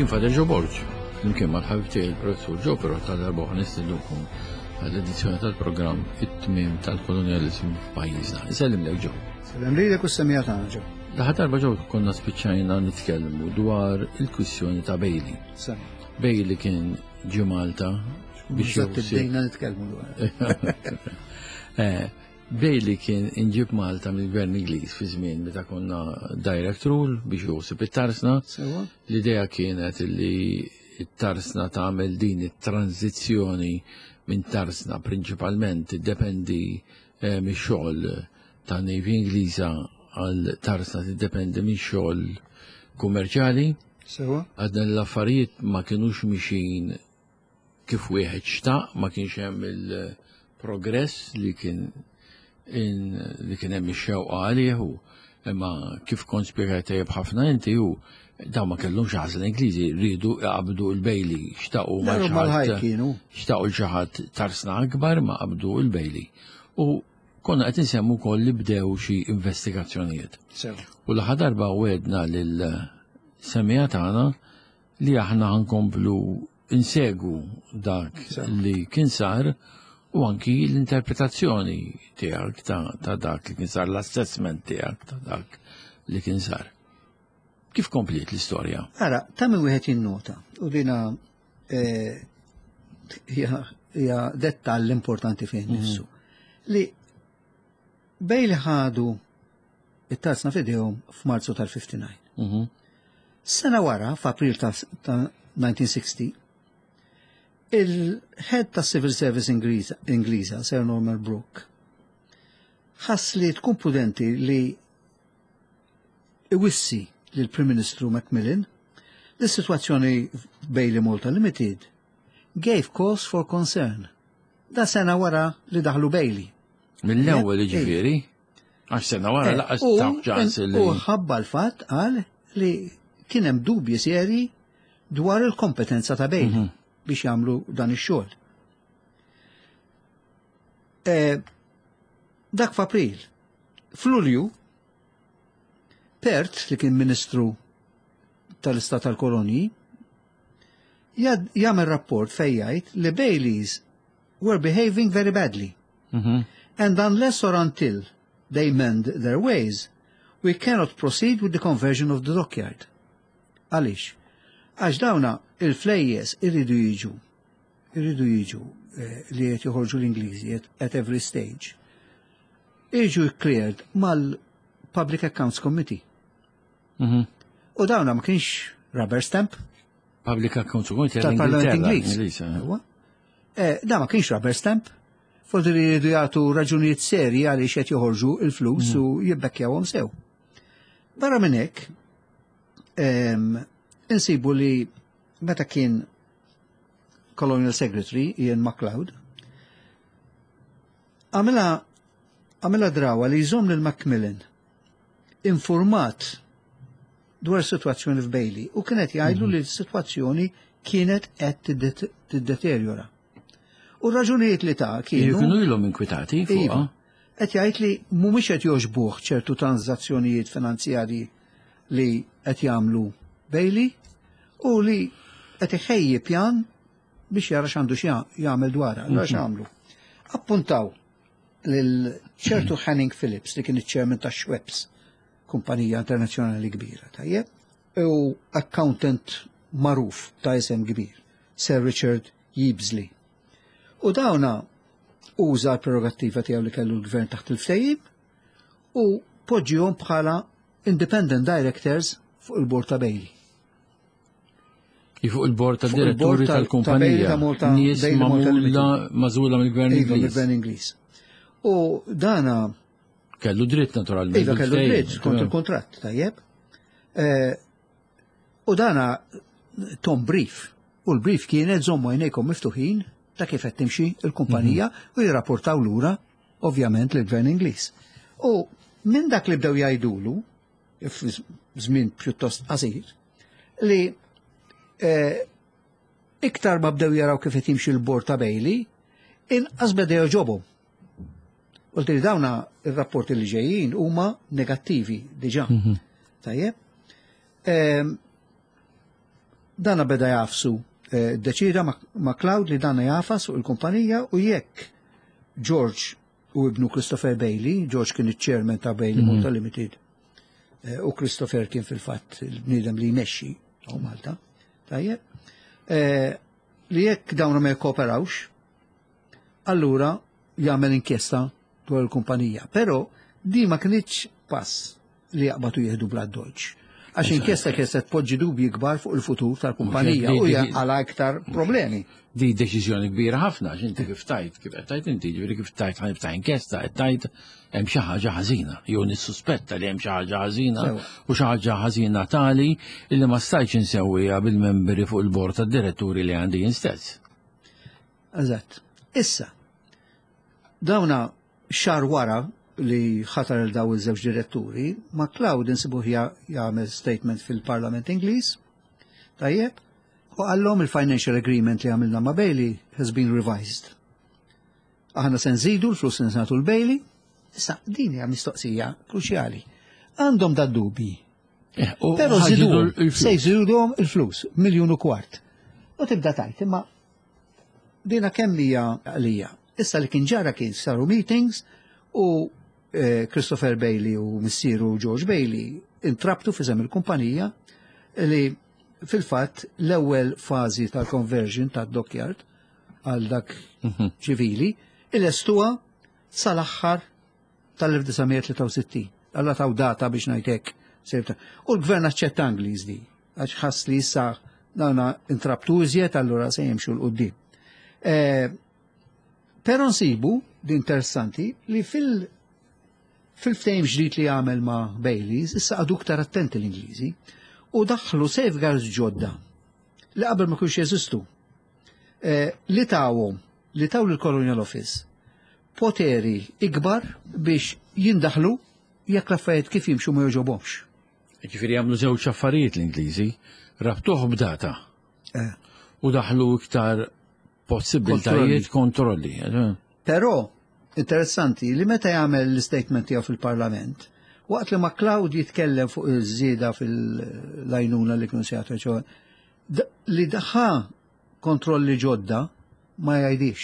Jien Father Joe Borg, flimkien mal-ħabib tiegħi il-Professur Joe Pirotta darba oħra nistiednukom għall-edizzjoni tal-programm It-tmiem tal-kolonjaliżmu f'pajjiżna. Isellimlek Joe. Sellem lilek u s-semija tagħna Joe. L-aħħar darba Joe konna spiċċajna nitkellmu dwar il-kwistjoni ta' Bailey. Bailey kien ġie Malta biex bdejna nitkellmu dwar. Eh, Bailey kien inġib Malta mill-Gvern Ingliż fi żmien meta konna direct rule biex josib it-tarsna. L-idea kienet li t-tarsna tagħmel din it-tranzizzjoni minn tarsna prinċipalment tiddependi eh, mix-xogħol ta' Navy Ingliża għal tarsna tiddependi minn xogħol kummerċjali. Sewa. Għadna l-affarijiet ma kinux mixin kif wieħed xtaq, ma kienx hemm il-progress li kien li kien hemm ix-xewqa għalih u imma kif kont spjegajt tajjeb ħafna inti hu dawn ma kellhomx għażla Ingliżi rridu jqabdu l-Bailey xtaqu ma xtaqu l xi ħadd tarsna akbar ma qabdu l-Bailey. U konna qed insemmu wkoll li bdew xi investigazzjonijiet. U l-aħħar darba wedna lil semija tagħna li aħna ħankomplu insegwu dak li kien sar u anki l-interpretazzjoni tiegħek ta', ta dak li kien sar, l-assessment tiegħek ta' dak li kien sar. Kif kompliet l-istorja? Ara, ta' min wieħed jinnota u dina eh, hija dettall importanti fejn mhm. nifsu. Li bej li ħadu it-tarzna f'idejhom f'Marzu tal-59. Mhm. Sena wara, f'April ta' 1960, il-head ta' Civil Service Ingliża, Sir Norman Brooke, ħass li tkun prudenti li iwissi lill prim Ministru Macmillan li s-sitwazzjoni Bailey Malta Limited gave cause for concern. Da sena wara li daħlu Bailey. Mill-ewwel jiġifieri? Għax sena wara eh, laqas taf ċans li. U ħabba l-fatt qal li kien hemm dubji seri dwar il-kompetenza ta' Bailey mhm. biex jagħmlu dan ix-xogħol. Eh, dak f'April. F'Lulju, Pert, li kien Ministru tal-Istat tal-Kolonji, jagħmel rapport fejn jgħid li Baileys were behaving very badly. Mm -hmm. And unless or until they mend their ways, we cannot proceed with the conversion of the dockyard. Għaliex? Għax dawna il-flejjes irridu jiġu, irridu jiġu eh, li qed joħorġu l-Ingliżi at every stage. Jiġu cleared mal-Public Accounts Committee. Mm -hmm. U dawna ma kienx rubber stamp. Public Accounts Committee tal-Parlament Ingliż. Eh. Eh, da ma kienx rubber stamp. Forsi li jridu jagħtu raġunijiet serji għaliex qed joħorġu il-flus mm. u jibbekkjawhom sew. Barra minn hekk, insibu li meta kien Colonial Secretary Ian MacLeod, għamela għamela drawa li jżomm lil Macmillan informat dwar is-sitwazzjoni f'Bailey u kien qed jgħidlu mhm. li s-sitwazzjoni kienet qed tiddeterjora. U raġunijiet li ta' kienu. Kienu ilhom inkwitati fuqha. Iva. Qed jgħid li mhumiex qed jogħġbuh ċertu tranżazzjonijiet finanzjarji li qed jagħmlu Bailey u li qed iħejji pjan biex jara x'għandu jagħmel dwarha, allura mhm. x'għamlu. Appuntaw lil ċertu Hanning Phillips li kien iċ-chairman ta' Schweppes, kumpanija internazzjonali kbira, tajjeb, u accountant magħruf ta' isem kbir, Sir Richard Yeabsley. U dawna uża l-prerogattiva tiegħu li kellu l-gvern taħt il-ftehim u poġġihom bħala independent directors fuq il-bord ta' Bailey. Fuq il-bord ta' diretturi tal-kumpanija. Nies magħmula mill-gvern iva, Ingliż. Mill-gvern Ingliż. U dana Kellu dritt naturalment. Iva kellu dritt skont il-kontratt, tajjeb. Eh, u dana tom brief. U l-brief kienet żommu għajnejkom miftuħin ta' kif qed timxi l-kumpanija mhm. u jirrapportaw lura ovvjament lill-gvern Ingliż. U minn dak li bdew jgħidulu, f'żmien pjuttost qasir, li eh, iktar ma bdew jaraw kif qed jimxi l-bord ta' Bailey, inqas beda jogħġobhom. U li dawna ir-rapporti li ġejjin huma negattivi diġà. Mhm. Tajjeb. Ehm, Dana beda jagħfsu, deċida MacLeod li dana jagħfas fuq il-kumpanija u jekk George u ibnu Christopher Bailey, George kien iċ-chairman ta' Bailey Malta Limited, u Christopher kien fil-fatt il-bniedem li jmexxi hawn Malta, tajjeb, li jekk dawn ma jikkooperawx, allura jagħmel inkjesta dwar il-kumpanija. Però di ma kinitx pass li jaqbatu jieħdu bla doċ. Għax inkjesta kienet se tpoġġi dubji kbar fuq il-futur tal-kumpanija u għala iktar problemi. Di deċiżjoni kbira ħafna, għax inti kif tajt, kif qed tajt inti, ġifieri kif tajt ħa niftaħ inkjesta, qed tajt hemm xi ħaġa ħażina, jew nissuspetta li hemm xi ħaġa ħażina u xi ħaġa ħażina tali illi ma stajtx insewwiha bil-membri fuq il-bord tad-diretturi li għandi jien stess. Eżatt. Issa, dawna xahar wara li ħatar il daw iż-żewġ diretturi, MacLeod insibuh jagħmel statement fil-Parlament Ingliż, tajjeb, u qallhom il-financial agreement li għamilna ma' Bailey has been revised. Aħna se nżidu l-flus li nagħtu l-Bailey, issa din hija mistoqsija kruċjali. Għandhom da dubji. U Però ħaġidu żiduhom, l-flus. se jżiduhom il-flus, miljun u kwart. U tibda tajt, imma dina kemm hija għalija. Issa li kien ġara kien saru meetings u Christopher Bailey u missieru George Bailey intrabtu f'isem il-kumpanija li fil-fatt l-ewwel fażi tal-conversion tad-dockyard għal dak ċivili ilestuha sal-aħħar tal-1963. Alla taw data biex ngħidlek. U l-gvern aċċetta Ingliż di, għax ħass li issa dawna intrabtu iżjed, allura se jimxu 'l quddiem. Però nsibu, di interessanti, li fil-ftehim ġdid li għamel ma' Baileys, issa għadu iktar attenti l-Ingliżi, u daħlu safeguards ġodda li qabel ma kienx jeżistu. Li tawhom, li taw lill-Colonial Office poteri ikbar biex jindaħlu jekk l-affarijiet kif jimxu ma jogħġobhomx. Ġifieri jagħmlu żewġ affarijiet l-Ingliżi, rabtuh b'data u daħlu iktar possibiltajiet kontrolli. Però interessanti li meta jagħmel l-statement tiegħu fil-Parlament, waqt li MacLeod jitkellem fuq iż-żieda fil-lajnuna li kienu se jagħtu, li daħħa kontrolli ġodda ma jgħidix.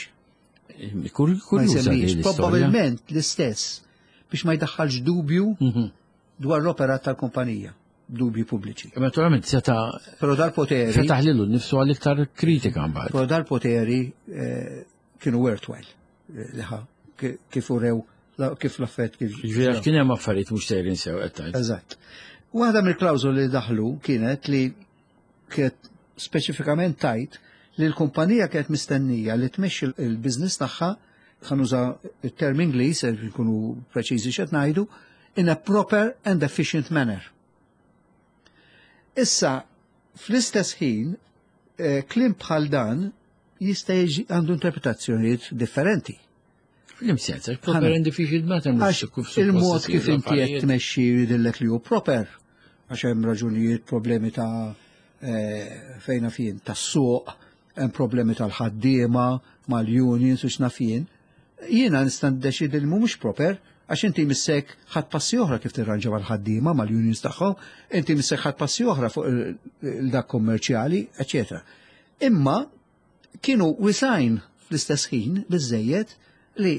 Ma Kurjuża jsemmix. din l-istorja. Probabilment l-istess biex ma jdaħħalx dubju dwar l-operat tal-kumpanija, dubji pubbliċi. Naturalment seta' Però dal-poteri fetaħ lilu nnifsu għal iktar kritika mbagħad. Però dal-poteri kienu worthwhile li ħa kif urew kif l-affett kif Ġifieri għax kien hemm affarijiet mhux sejrin sew qed tgħid. Eżatt. Waħda mill-klawżoli li daħlu kienet li kienet speċifikament tajt li l-kumpanija kienet mistennija li tmexxi il-business tagħha, ħa nuża il-term Ingliż, se nkunu preċiżi x'qed ngħidu, in a proper and efficient manner. Issa, fl-istess ħin, kliem bħal dan jista' jiġi għandu interpretazzjonijiet differenti. Fl-im sens, għax proper Ħana. and efficient manner mhux Għax kif suppost il-mod isir kif inti qed l-affarijiet. tmexxi jidhirlek li hu proper, għax hemm raġunijiet, problemi ta' fejna fien, tas-suq, hemm problemi tal-ħaddiema, mal-unions u x'naf jien. Jiena nista' niddeċidi li mhumiex proper, għax inti missek ħadd passi oħra kif tirranġa mal-ħaddiema, mal-unions tagħhom, inti missek ħadd passi oħra fuq il-dak kommerċjali, eċetera. Imma kienu wisajn fl-istess ħin biżejjed li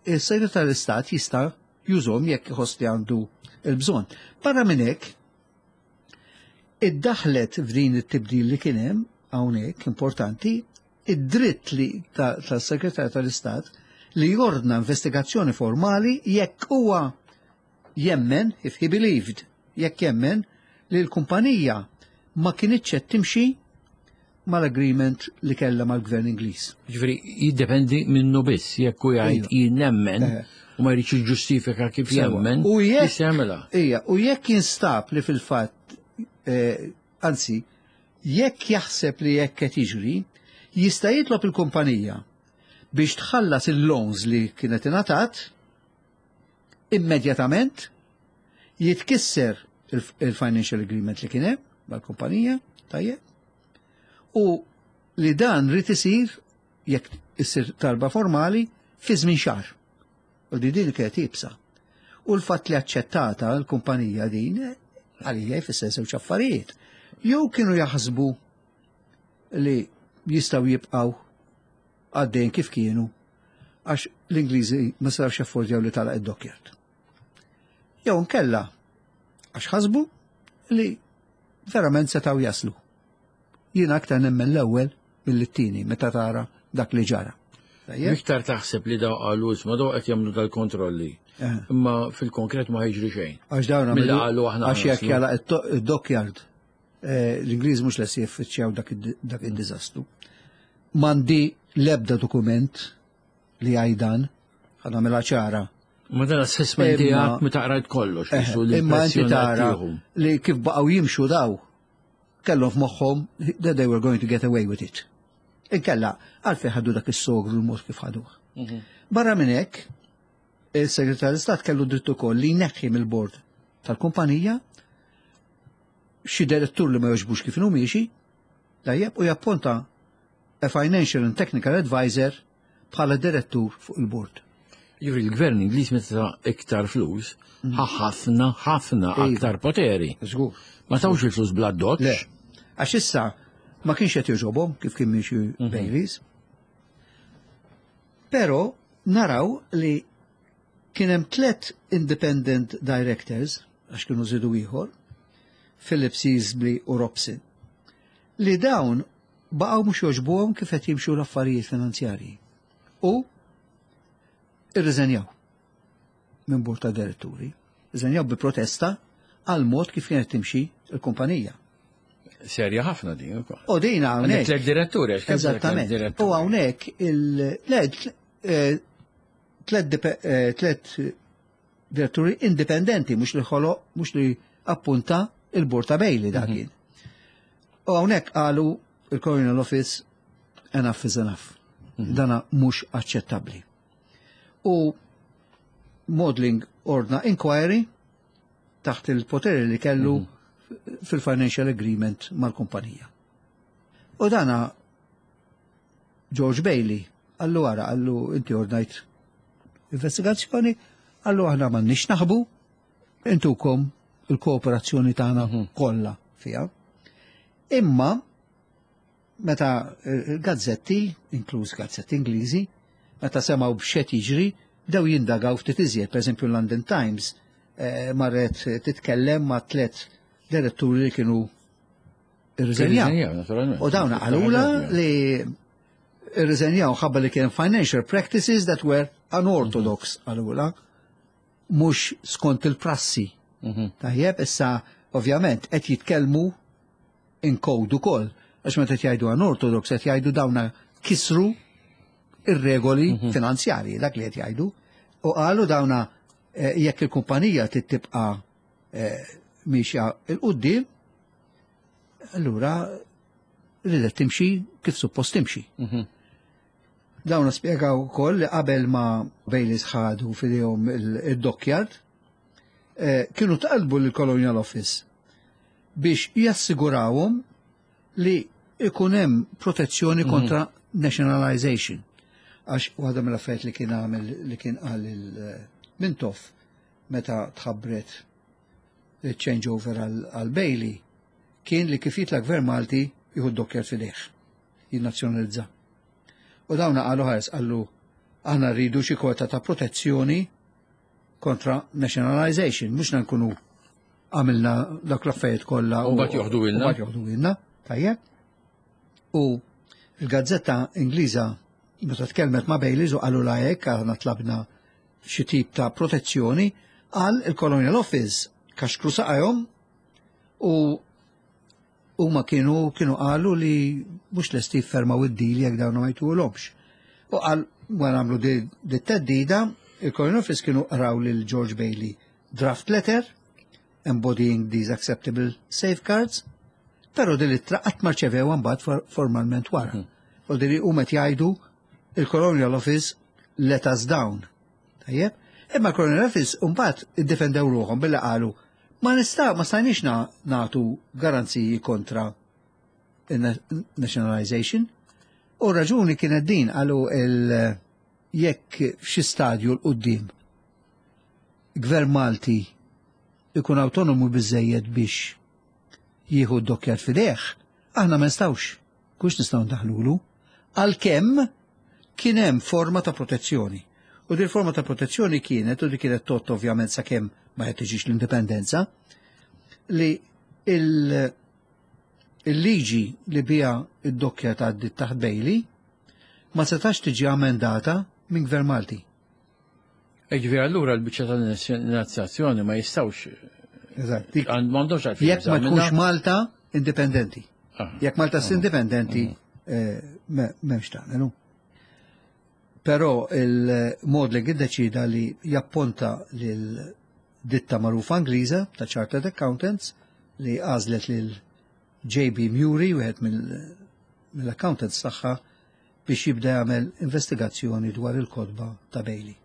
il-segretar tal-Istat jista' jużhom jekk iħoss li għandu il-bżonn. Barra minn hekk, iddaħlet f'din it-tibdil li kien hemm hawnhekk importanti, id-dritt li tas-segretar tal-Istat li jordna investigazzjoni formali jekk huwa jemmen, if he believed, jekk jemmen li l-kumpanija ma kinitx qed timxi mal-agreement li kellha mal-gvern Ingliż. Ġifieri jiddependi minnu biss, jekk hu jgħid jien nemmen u ma jridx jiġġustifika kif jemmen, U jekk jista' jagħmilha. Ija, u jekk jinstab li fil-fatt, anzi, jekk jaħseb li jekk qed jiġri, jista' jitlob il-kumpanija biex tħallas il-loans li kienet ingħatat immedjatament, jitkisser il-financial agreement li kien hemm mal-kumpanija, tajjeb, u li dan rid isir jekk issir talba formali fi żmien xahar. U di din kienet ibsa. U l-fatt li aċċettata l-kumpanija din, għalija jfisser żewġ affarijiet. Jew kienu jaħsbu li jistgħu jibqgħu għaddejn kif kienu għax l-Ingliżi ma setgħux jaffordjaw li tagħlaq id-dockyard. Jew nkella għax ħasbu li verament setgħu jaslu. Jiena aktar nemmen l-ewwel mill-tieni meta tara dak li ġara. Iktar taħseb li daw qalu isma' daw qed jagħmlu dal-kontrolli. Imma fil-konkret ma ħiġri xejn. Għax dawn Mill qalu aħna. Għax jekk jagħlaq id-dockyard l-Ingliż mhux lesti jiffiċċjaw dak id-diżastru. M'għandi l-ebda dokument li jgħidan, ħa nagħmilha ċara. Ma dan assessment tiegħek meta qrajt kollox. Imma inti tara li kif baqgħu jimxu daw kellhom f'moħħhom that they were going to get away with it. Inkella, għalfejn ħadu dak is-sogru l-mod kif ħaduh. Barra minn hekk, il-Segretarju tal-Istat kellu dritt ukoll li jneħħi mill-bord tal-kumpanija xi direttur li ma jogħġbux kif inhu miexi, tajjeb, u japponta a financial and technical advisor bħala direttur fuq il-bord. Jiġifieri l-gvern Ingliż meta iktar flus, ħafna, ħafna aktar poteri. Żgur. Ma tawx il-flus bla doċ. Le. Għax issa ma kienx qed jogħġobhom kif kien miexi Bayleys. Però naraw li kien hemm tlet independent directors, għax kienu żidu ieħor, Philip Seasby u Robson, li dawn baqgħu mhux jogħġbuhom kif qed jimxu l-affarijiet finanzjarji. U irriżenjaw minn bord ta' diretturi. Irriżenjaw bi protesta għal mod kif kienet timxi l-kumpanija. Serja ħafna din ukoll. U din hawnhekk. Tliet diretturi, għax kemm Eżattament. U hawnhekk il tlet diretturi indipendenti, mhux li ħoloq, mhux li appunta il-bord ta' Bailey dak kien. U hawnhekk qalu il-Colonial Office, "Enough is enough." Dana mhux aċċettabbli. U Maudling ordna inquiry taħt il-poteri li kellu fil-financial agreement mal-kumpanija. U dana George Bailey qallu wara, qallu inti ordnajt investigazzjoni, qallu aħna m'għandniex naħbu, intukom il-kooperazzjoni tagħna kollha fiha. Imma meta il-gazzetti, inkluż gazzetti Ingliżi, meta semgħu b'x'qed jiġri, bdew jindagaw ftit iżjed, per eżempju London Times marret titkellem ma' tlet diretturi li kienu irriżenjaw. Naturalment. U dawna qalula li irriżenjaw ħabba li kien financial practices that were unorthodox, qalula, mhux skont il-prassi. Tajjeb, issa ovvjament qed jitkellmu in code ukoll, għax meta qed jgħidu unorthodox qed jgħidu dawna kisru ir-regoli finanzjarji, dak li qed jgħidu. U qalu dawna jekk il-kumpanija tibqa' miexja 'l quddiem, allura ridet timxi kif suppost timxi. Dawna spjegaw ukoll li qabel ma Bayleys ħadu f'idejhom il-dockyard, kienu talbu l-Colonial Office biex jassigurawhom li ikun hemm protezzjoni kontra nationalization. Għax waħda mill-affarijiet li kien għamel, li kien qal il-Mintoff meta tħabbret il-changeover għal Bailey, kien li kif jitla gvern Malti jieħu d-dockyard f'idejh, jinnazzjonalizza. U dawna qalu ħares, qallu aħna rridu xi kwota ta' protezzjoni kontra nationalization, mhux nkunu għamilna dak l-affarijiet kollha U mbagħad joħdu ilna. U mbagħad joħdu ilna, tajjeb. U il-gazzetta Ingliża meta tkellmet ma' Bayleys u qalu la hekk aħna tlabna xi tip ta' protezzjoni, qal il-Colonial Office kaxkru saqajhom u huma kienu qalu li mhux lesti jiffermaw id-deal jekk dawn ma jtuhomx. U qal wara għamlu di teddida, il-Colonial Office kienu qraw lil George Bailey draft letter embodying these acceptable safeguards, pero din l-ittra qatt ma rċevew mbagħad formalment wara. U din huma qed jgħidu il-Colonial Office let us down. Tajjeb? Imma Colonial Office mbagħad iddefendew ruħhom billi qalu ma stajniex nagħtu garanziji kontra nationalization. U raġuni kienet din, qalu il jekk f'xi stadju 'l quddiem gvern Malti ikun autonomu biżejjed biex jieħu d-dockyard f'idejh, aħna ma nistgħux. Kux nistgħu ndaħlulu, għalkemm kien hemm forma ta' protezzjoni. U din forma ta' protezzjoni kienet, u di kienet tot ovvjament sakemm ma tiġix l-indipendenza, li il-liġi li bija id-dokkja ta' taħt Bailey ma setax tiġi amendata minn Gvern Malti. Ġifieri allura l-biċċa tal-nazzjazzjoni ma jistgħux. Eżatt. M'għandhomx għalfejn. Jekk ma tkunx Malta indipendenti. Jekk Malta s indipendenti m'hemmx tagħmel. Però il-Maudling iddeċida li japponta lil ditta magħrufa Ingliża ta' Chartered Accountants li għażlet lil JB Murray, wieħed mill-accountants tagħha, biex jibda jagħmel investigazzjoni dwar il-kotba ta' Bailey.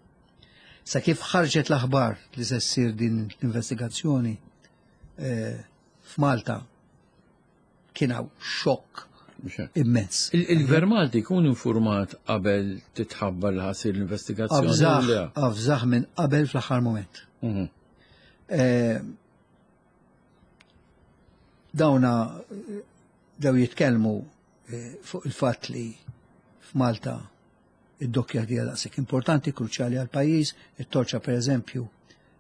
Sa kif ħarġet l-aħbar li se ssir din l-investigazzjoni f'Malta kien hawn xokk immens. Il-Gvern Malti jkun informat qabel titħabbar li ħa ssir l-investigazzjoni? Avżah minn qabel fl-aħħar moment. Dawna daw jitkellmu fuq il-fatt li f'Malta id-dokkja hija daqshekk importanti, kruċjali għal pajjiż. It-Torċa, per eżempju,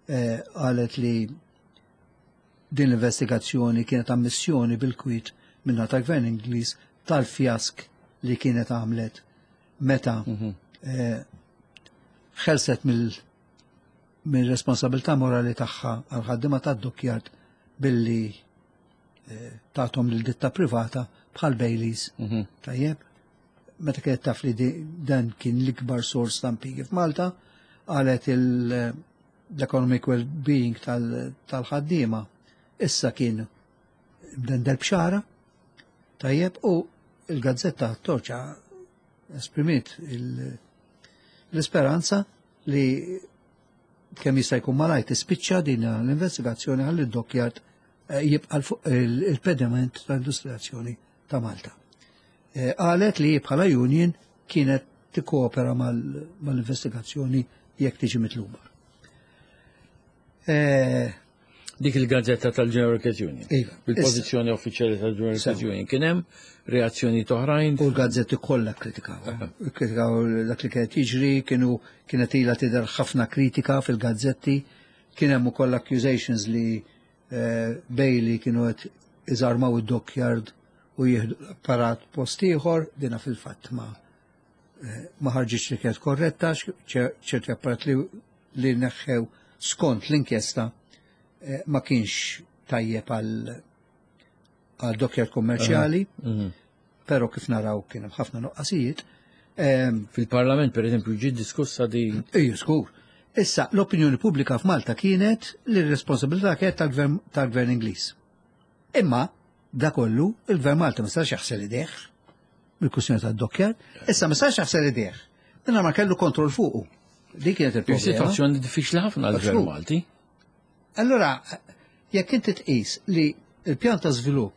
qalet li din l-investigazzjoni kienet ammissjoni bil-kwit minna ta' gvern Ingliż tal-fjask li kienet għamlet meta ħelset mill-responsabilità morali tagħha għal ħaddiema tad-dockyard billi tathom lil ditta privata bħal Baileys. Tajjeb, meta kienet taf li dan kien l-ikbar sors ta' impjiegi f'Malta, qalet l-economic well-being tal-ħaddiema issa kien mdendel bxara, tajjeb, u il-gazzetta Torċa esprimiet l-isperanza li kemm jista' jkun malajr tispiċċa din l-investigazzjoni ħalli d-dockyard jibqa' fuq il-pedament tal-industrializzazzjoni ta' Malta. Qalet li bħala union kienet tikkoopera mal-investigazzjoni jekk tiġi mitluba. Dik il-gazzetta tal-General Workers Union. Iva. Bil-pożizzjoni uffiċjali tal-General Workers Union. Kien hemm reazzjoni oħrajn? U l-gazzetti kollha kritikaw. Kritikaw dak li kienet jiġri, kienu kienet ilha tidher ħafna kritika fil-gazzetti, kien hemm ukoll accusations li Bailey kienu qed iżarmaw id-dockyard u jieħdu l-apparat post ieħor, dina fil-fatt ma ħarġitx li kienet korretta, ċerti apparat li neħħew skont l-inkjesta ma kienx tajjeb għal dockyard kummerċjali, però kif naraw kien hemm ħafna nuqqasijiet. Fil-Parlament, per eżempju, ġiet diskussa di. Ejju, skur. Issa, l-opinjoni pubblika f'Malta kienet li r-responsabilità kienet tal-Gvern Ingliż. Imma, da kollu, il-Gvern Malta ma setax jaħsel idejh bil-kwistjoni tad-dockyard, issa ma setax jaħsel idejh. Minna ma kellu kontroll fuqu. Dik kienet il-problema. Situazzjoni diffiċli ħafna għall-Gvern Malti. Allora, jekk inti tqis li il-pjan ta' żvilupp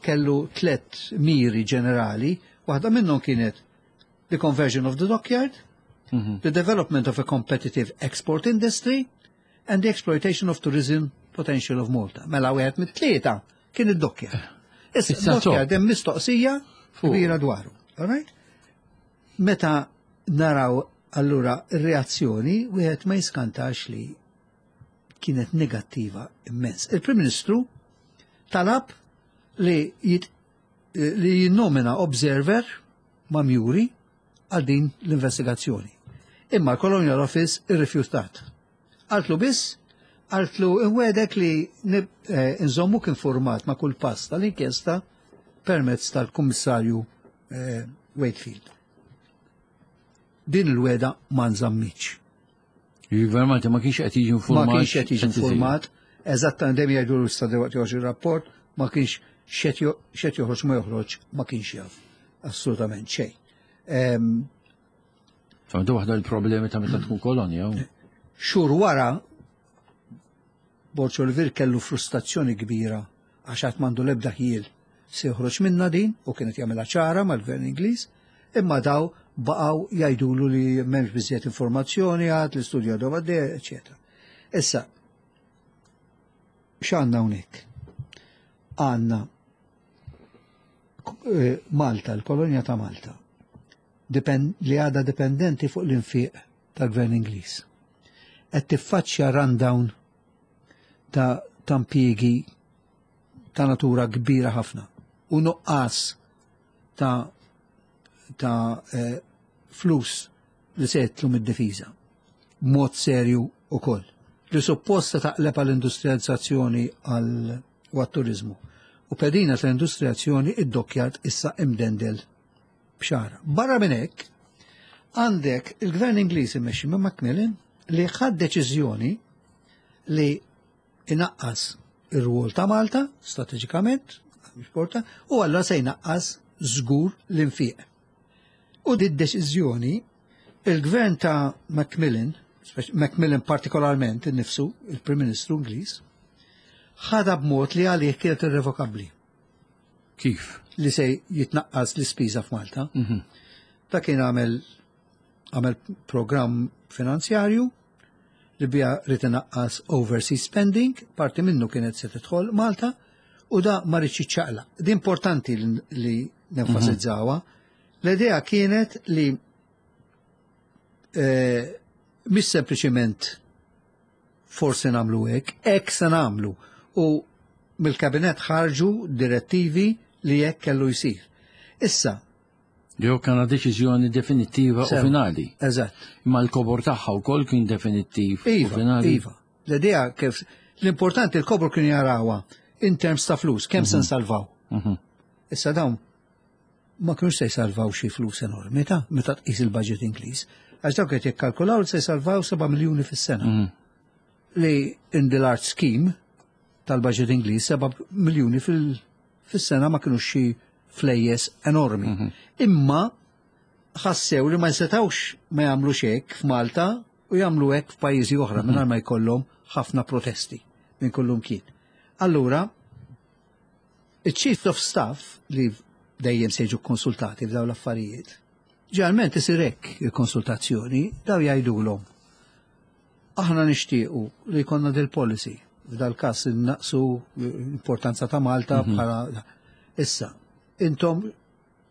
kellu tlet miri ġenerali, waħda minnhom kienet the conversion of the dockyard, the development of a competitive export industry, and the exploitation of tourism potential of Malta. Mela wieħed mit-tlieta kien id-dockyard. Issa Issa id-dockyard hemm mistoqsija Fuq. kbira dwaru. All right? Meta naraw allura ir-reazzjoni, wieħed ma jiskantax li kienet negattiva immens. Il-Prim Ministru talab li jinnomina observer ma' Murray għal din l-investigazzjoni. Imma l-Colonial Office irrifjutat. Qaltlu biss, qaltlu inwegħdek li nżommuk informat ma' kull pass tal-inkjesta permezz tal-Kummissarju Wakefield. Din il-wegħda ma nżammitx. Il-Gvern Malti ma kienx qed jiġi Ma informat. kienx qed jiġi informat, eżattament dejjem jgħidu l-issa waqt joħroġ ir-rapport, ma kienx x'qed joħroġ ma joħroġ, ma kienx jaf assolutament xejn. Għandu waħda l-problemi ta' meta tkun kolonja. Xhur wara Borg Olivier kellu frustrazzjoni kbira għax għad m'għandu l-ebda ħjiel se joħroġ minna din u kienet jagħmilha ċara mal-Gvern Ingliż, imma daw baqgħu jgħidulu li m'hemmx biżejjed informazzjoni għad l-istudju għadu għaddej, eċetera. Issa, x'għandna hawnhekk? Għandna Malta, l-kolonja ta' Malta, li għadha dipendenti fuq l-infiq tal-gvern Ingliż, qed tiffaċċja rundown ta' impjiegi ta' natura kbira ħafna u nuqqas ta' flus li se jidħlu mid-difiża. Mod serju ukoll. Li supposta taqleb għall-industrializzazzjoni għal u għat-turizmu. U pedina tal-industrializzazzjoni, id-dockyard issa imdendel b'xara. Barra minn hekk, għandek il-gvern Ingliż immexxi minn Macmillan li ħad deċiżjoni li inaqqas ir-rwol ta' Malta strateġikament, mhux porta, u allura se jnaqqas żgur l-infiq. U di deċiżjoni il-gvern ta' Macmillan, Macmillan partikolarment innifsu, il-Prim Ministru Ingliż, ħadha b'mod li għalih kienet irrevokabbli. Kif? Li se jitnaqqas l-ispiża f'Malta. Ta' kien għamel programm finanzjarju li bija ried inaqqas overseas spending, parti minnu kienet se tidħol Malta, u da ma riedx jiċċaqlaq. Di importanti li nenfasizzawha. L-idea kienet li mhix sempliċiment forsi nagħmlu hekk, hekk se nagħmlu. U mill-kabinet ħarġu direttivi li hekk kellu jsir. Issa, Jew kena deċiżjoni definittiva u finali. Eżatt. Imma l-kobor tagħha wkoll kien definittiv u finali. Iva. L-idea kif l-importanti l-kobor kien jarawha in terms ta' flus, kemm se nsalvaw. Issa dawn ma kienux se jsalvaw xi flus enormi ta' meta tqis il-budget Ingliż. Għax dawk qed jikkalkulaw li se jsalvaw 7 miljuni fis-sena. Li in the large scheme tal-budget Ingliż 7 miljuni fis-sena ma kienux xi flejjes enormi. Imma ħassew li ma jsetawx ma jagħmlu hekk f'Malta u jagħmlu hekk f'pajjiżi oħra mingħajr ma jkollhom ħafna protesti minn kullum kien. Allura, il-Chief of Staff li dejjem se jiġu konsultati f'dawn l-affarijiet, ġeneralment isir hekk il-konsultazzjoni, daw jgħidulhom: "Aħna nixtiequ li jkollna dil policy, f'dal każ innaqsu l-importanza ta' Malta bħala issa. Intom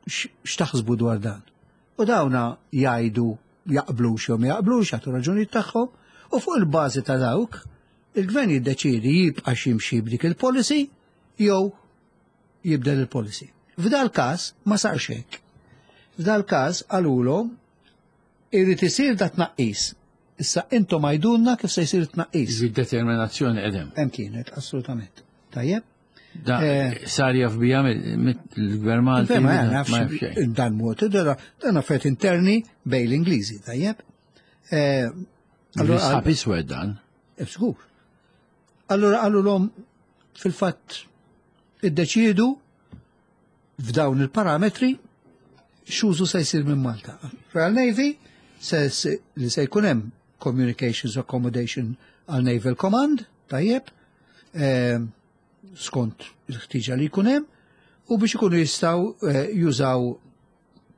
x'taħsbu dwar dan?" U dawna jgħidu jaqblux jew ma jaqblux, jagħtu raġunijiet tagħhom, u fuq il-bażi ta' dawk il-gvern jiddeċiedi jibqa' jimxi b'dik il-policy jew jibdel il-policy. F'dal każ ma sarx hekk. F'dal każ qalulhom irid isir da tnaqqis. Issa intom għajdulna kif se jsir tnaqqis. Determinazzjoni qedem. Hemm kienet, assolutament. Tajjeb? Da sar jaf bija mill-gvern Malti. Ma ma nafx jaf xejn. Dan mod, dan affarijiet interni bejn l-Ingliżi, tajjeb? Allura sħab iswed dan. Żgur. Allura qalulhom fil-fatt iddeċiedu f'dawn il-parametri x'użu se jsir minn Malta. Royal Navy li se jkun hemm communications accommodation għal Naval Command, tajjeb, skont il-ħtiġa li jkun hemm, u biex ikunu jistgħu jużaw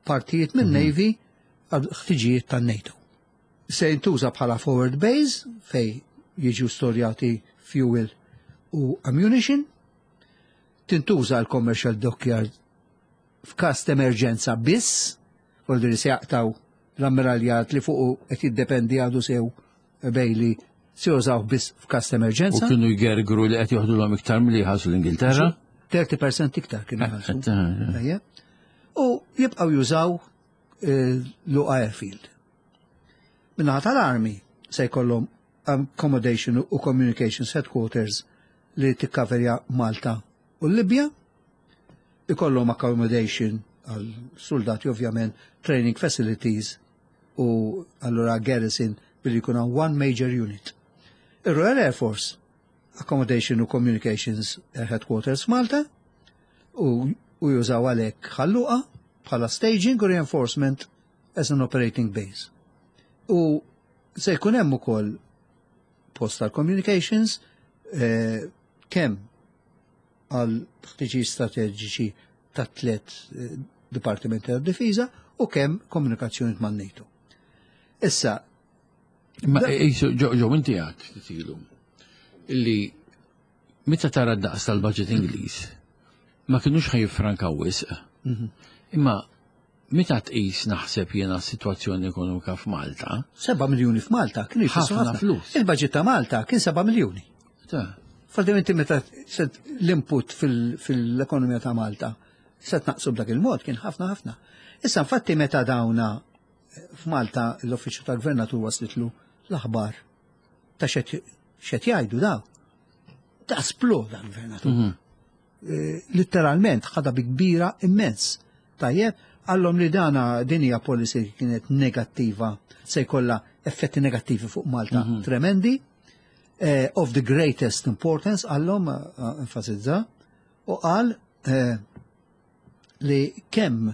partijiet minn Navy għal ħtiġijiet tan-NATO. Se jintuża bħala forward base fej jiġu storjati fuel u ammunition, tintuża l-commercial dockyard f'każ ta' emerġenza biss, vuol se jaqtaw l-ammiraljat li fuqu qed jiddependi għadu sew Bailey, se jużaw biss f'każ ta' U emerġenza. kienu jgergru li qed joħdu iktar milli jħallsu l-Ingilterra. 30% iktar kienu jħallsu. Tajjeb. U jibqgħu jużaw Luqa Airfield. Min-naħa tal-Army se jkollhom accommodation u communications headquarters li tikkaverja Malta u Libja. Ikollhom accommodation għal soldati ovvjament, training facilities u allura garrison billi jkun hawn one major unit. Ir-Royal Air Force, accommodation u communications headquarters Malta u jużaw għalhekk Ħal Luqa bħala staging u reinforcement as an operating base. U se jkun hemm ukoll post tal-communications kemm għal ħtiġijiet strateġiċi ta' tliet dipartimenti tad difiża u kemm komunikazzjoni man NATO. Issa, Ma jisu, ġo, inti għat titilu, illi meta tara d-daqs tal-budget Ingliż, ma kienux ħa jiffrankaw wisq. Imma meta tqis naħseb jiena s-sitwazzjoni ekonomika f'Malta. 7 miljuni f'Malta kienu jfissru ħafna flus. Il-budget ta' Malta kien 7 miljuni. Faddim inti meta l-input fil-ekonomija ta' Malta se tnaqsu b'dak il-mod kien ħafna ħafna. Issa infatti meta dawna f'Malta l-Uffiċċju tal-Gvernatur waslitlu l-aħbar ta' xed jgħidu daw. Ta' sploda l-gvernatur. Eh, Litteralment ħada bi kbira immens. Tajjeb, għallhom li dana din hija policy li kienet negattiva, se jkollha effetti negattivi fuq Malta tremendi, of the greatest importance, għallhom enfasizza, u qal li kemm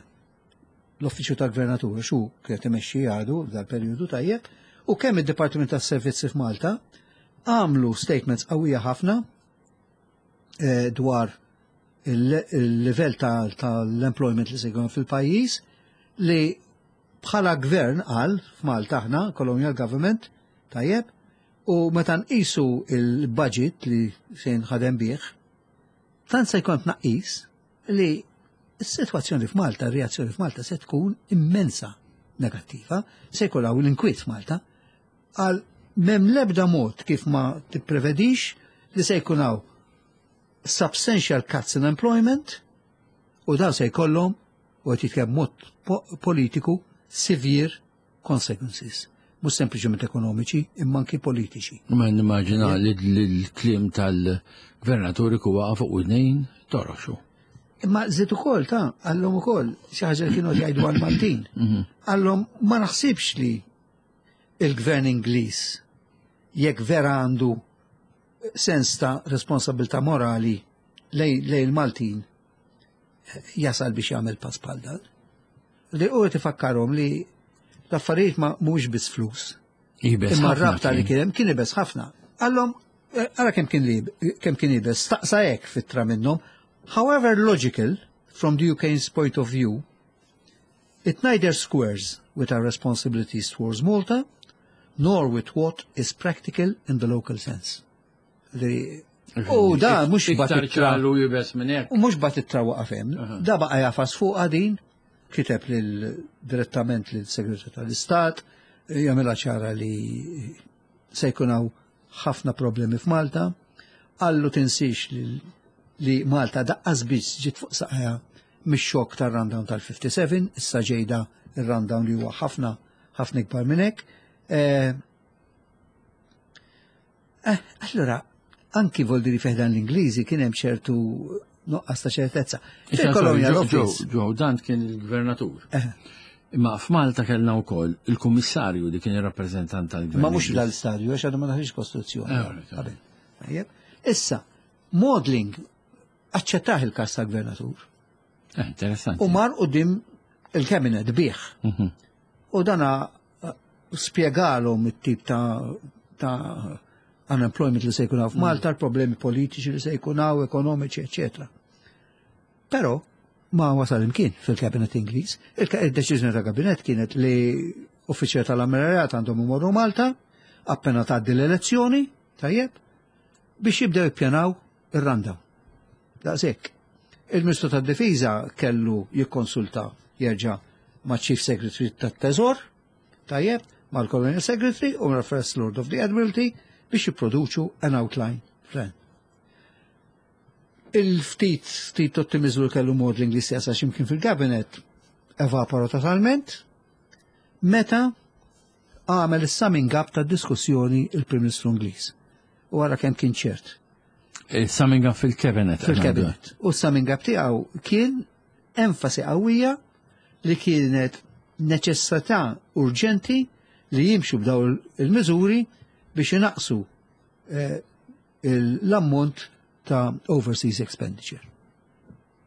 l-Uffiċċju tal-Gvernatur, xu kienet imexxi għadu dal-perjodu tajjeb, u kemm id-Dipartiment tas-Servizzi f'Malta għamlu statements qawwija ħafna dwar il-livell tal-employment li se jkun fil-pajjiż li bħala gvern qal f'Malta aħna, colonial government, tajjeb, u meta nqisu il-budget li se jinħadem bih, tant se jkun tnaqqis li s-sitwazzjoni f'Malta, r-reazzjoni f'Malta se tkun immensa negattiva, se jkun hawn l-inkwiet f'Malta, għal m'hemm l-ebda mod kif ma tipprevedix li se jkun hawn substantial cuts in employment u dan se jkollhom u qed jitkellem mod politiku severe consequences. Mhux sempliċement ekonomiċi, imma anki politiċi. Ma nimmaġina li l-kliem tal-gvernatur ikun waqa' fuq widnejn toroxu. Imma żied ukoll ta' għallhom ukoll xi ħaġa li kienu jgħidu għall-Maltin. Għallhom ma naħsibx li il-gvern Ingliż jekk vera għandu sens ta' responsabilità morali lej il-Maltin jasal biex jagħmel pass bħal dan. Li u qed ifakkarhom li l-affarijiet ma mhuwiex biss flus. Iebes Imma ħafna r-rabta li kien. kien hemm kien iebes ħafna. Għallhom ara kemm kien li kemm kien iebes, staqsa hekk f'ittra minnhom. However logical from the UK's point of view, it neither squares with our responsibilities towards Malta, nor with what is practical in the local sense. Li, u da mhux Iktar bagħat ittra ċaru iebes minn hekk. U mhux bagħat ittra waqaf hemm, da baqa' jagħfas fuq din, kiteb lil direttament lil segretarju tal-Istat, jagħmilha ċara li se jkun hawn ħafna problemi f'Malta, qallu tinsix li Malta daqqas biss ġiet fuq saqajha mix-xokk tar-rundown tal-57, issa ġejda ir-rundown li huwa ħafna ħafna ikbar minn hekk. Allora, anki vol diri fi ħdan l-Ingliżi kien hemm ċertu nuqqas ta' ċertezza. Issa, Fil-Colonial sorry, Office. Joe, dan kien il-gvernatur. Imma f'Malta kellna wkoll il-kummissarju li kien ir-rappreżentant tal-gvern. Ma mhux dal-stadju, għax għadu ma daħlix kostituzzjoni. Right. Qabel. Tajjeb. Issa, Maudling aċċettaħ il-kas tal-gvernatur. Interessanti. U mar quddiem il-cabinet bih. U dana spjegalhom it-tip ta' unemployment li se jkun hawn f'Malta, l-problemi politiċi li se jkun hawn, ekonomiċi, eccetera. Però ma wasal imkien fil-kabinet Ingliż. Il-deċiżjoni ta' kabinet kienet li uffiċjali tal-Ammiraljat għandhom imorru Malta, appena tgħaddi l-elezzjoni, tajjeb, biex jibdew jippjanaw ir-rundown. Daqshekk. Il-Ministru tad-Difiża kellu jikkonsulta jerġa' ma' Chief Secretary tat-Teżor, tajjeb, mal-Colonial Secretary u mal First Lord of the Admiralty biex jipproduċu an outline plan. Il-ftit ftit ottimizmu li kellu Maudling li stessa x'imkien fil-kabinet evapora totalment meta għamel is-summing up ta' diskussjoni il-Prim Ministru Ingliż. U għara kemm kien ċert. Il-summing up fil-cabinet. Fil-kabinet. U s-summing up tiegħu kien enfasi qawwija li kienet neċessità urġenti li jimxu b'daw il-miżuri biex inaqsu l-ammont ta' overseas expenditure.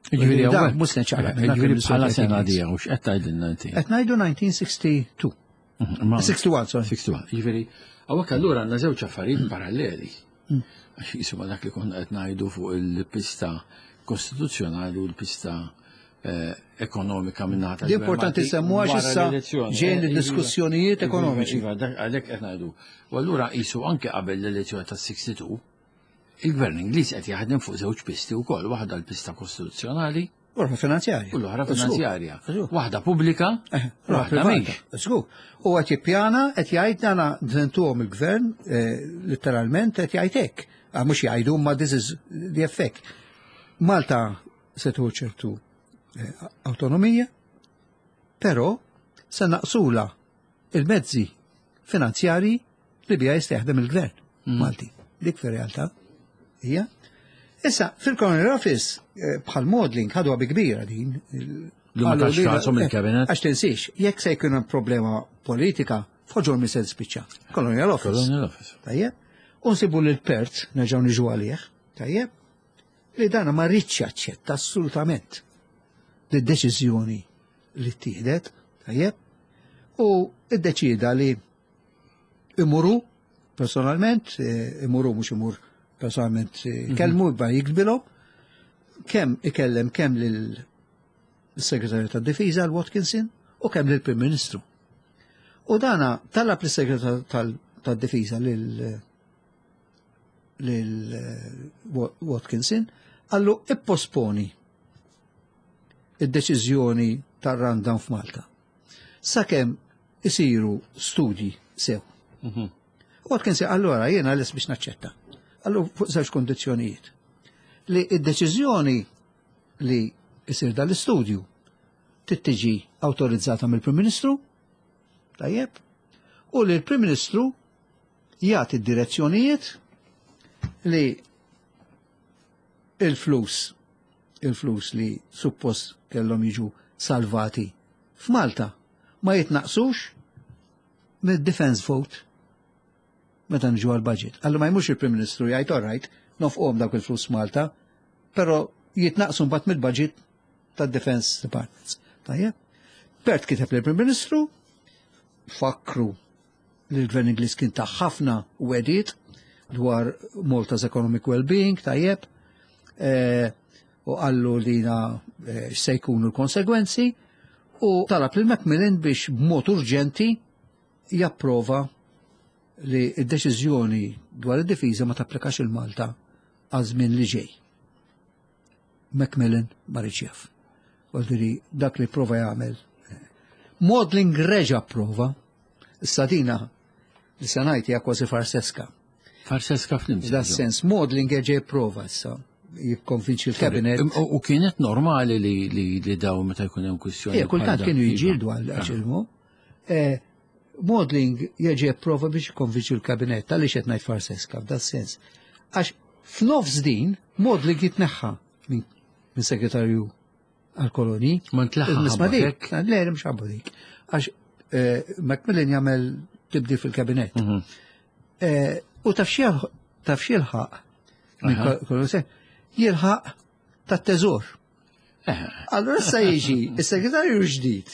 Ġifieri Da, hawnhekk- mhux neċċaqlaq minn dak Ġifieri il-Ministru bħala tal sena Ingliż. dija, u x'qed tgħidilna inti? Qed ngħidu 1962. 61, sorry. 61. Ġifieri, hawnhekk allura għandna żewġ affarijiet paralleli. Għax jisu ma dak li konna qed ngħidu fuq il-pista kostituzzjonali u l-pista ekonomika minnaħa Di importanti semmu għax wara issa l-elezzjoni. ġejn Iva, id-diskussjonijiet iva, ekonomiċi. Iva, għalhekk qed ngħidu. U allura qisu anke qabel l-elezzjoni tas-62, il-gvern Ingliż qed jaħdem fuq żewġ pisti wkoll, waħda l-pista kostituzzjonali. L-oħra finanzjarja. U l-oħra finanzjarja. Waħda pubblika, eh, waħda mhix. Żgur. U qed jippjana qed jgħid dana dventuhom il-gvern eh, letteralment qed jgħid hekk. Ah, mhux jgħidu ma this is the effect. Malta se tieħu ċertu eh, autonomija, però se naqsula il-mezzi finanzjarji li bija jista' jaħdem il-gvern Malti. Dik fir-realtà hija. Issa, fil-Colonial Office, eh, bħal Maudling, ħadu bi kbira din. Li ma tax kasom il-kabinet. Għax tinsiex, jekk se jkun hemm problema politika, f'ħoġor mi se tispiċċa. Colonial Office. Colonial Office. Tajjeb. Unsibu lil Pert, nerġgħu niġu għalih, tajjeb, li dana ma rridx jaċċetta assolutament d-deċiżjoni li ttieħdet, tajjeb, u iddeċida li imuru personalment, eh, imuru mhux imur personalment eh, kelmu ba jiktbilhom, kemm ikellem kemm lil segretarju tad-Difiża l-Watkinson u kemm lil Prim Ministru. U dana talab lis-segretarju tad-Difiża lil lil eh, Watkinson għallu ipposponi id-deċiżjoni tar-rundown f'Malta. Sakemm isiru studji sew. Watkinson allura jiena les biex naċċetta. Għallu fuq żewġ kondizzjonijiet. Li id-deċiżjoni li isir dal-istudju tittiġi awtorizzata mill-Prim Ministru, tajjeb, u li l-Prim Ministru jagħti d-direzzjonijiet li il-flus il-flus li suppost kellhom jiġu salvati f'Malta ma jitnaqsux mid-defense vote meta nġu għal-budget. Għallu ma jmux il-Prim Ministru jgħid all right, nofqhom dawk il-flus Malta, però jitnaqsu mbagħad mill-budget tad-Defense Departments. Tajjeb. Pert kiteb lill-Prim Ministru, fakru li l-Gvern Ingliż kien ta' ħafna wegħdiet dwar Malta's economic well-being, tajjeb, eh, u qallu li na eh, se jkunu l-konsegwenzi, u talab lil Macmillan biex b'mod urġenti japprova li id-deċiżjoni dwar id-difiża ma tapplikax il-Malta għal żmien li ġej. Macmillan ma riedx jaf. Għaldiri dak li prova jagħmel. Maudling reġa prova, issa dina li se ngħid hija kważi farseska. Farseska fl Da sens Maudling reġa prova issa jikkonvinċi l-kabinet. U kienet normali li daw meta jkun hemm kwistjoni. Ija, kultant bħal kienu dak, jiġġieldu iva. għal għaxilmu. Maudling jeġi prova biex jikkonvinċi l-kabinet, tal-li qed ngħid farseska f'da sens. Għax f'nofs din, Maudling jitneħħa minn segretarju għal-koloni. Ma ntlaħħa Nisma' dik, ħabba le, mhux ħabba dik. Għax Macmillan jagħmel tibdil fil-kabinet. U taf x'jilħaq minn jilħaq tat-teżor. Allora issa jiġi is-segretarju ġdid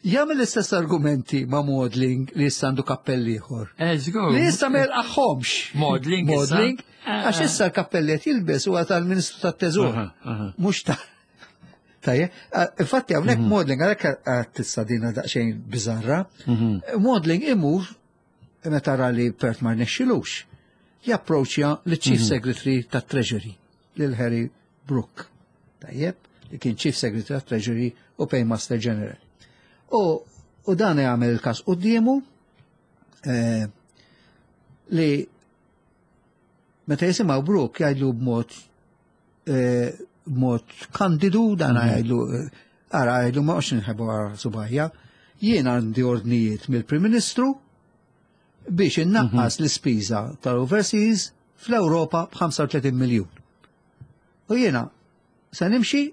jagħmel l-istess argumenti ma' Maudling li issa għandu kappell ieħor. Żgur. Li issa ma jilqaħħomx. Maudling issa. Maudling, għax issa l-kappelli qed jilbes huwa tal-Ministru tat-Teżor. Aha, aha. Mhux ta' Tajjeb, infatti hawnhekk Maudling għalhekk għad tista' dina daqsxejn biżarra. Maudling imur meta ra li Pert ma rnexxilux, japproċċja l-Chief Secretary tat-Treasury, lil Harry Brooke. Tajjeb, li kien Chief Secretary tat-Treasury u Paymaster General. U dan jagħmel il-każ quddiemu li meta jisimgħu Brooke jgħidlu b'mod kandidu dan jgħidlu ara jgħidlu ma għox nħebu għara subajja, jien għandi ordnijiet mill-Prim Ministru biex innaqqas l-ispiża tal-overseas fl-Ewropa b'35 miljun. U jiena se nimxi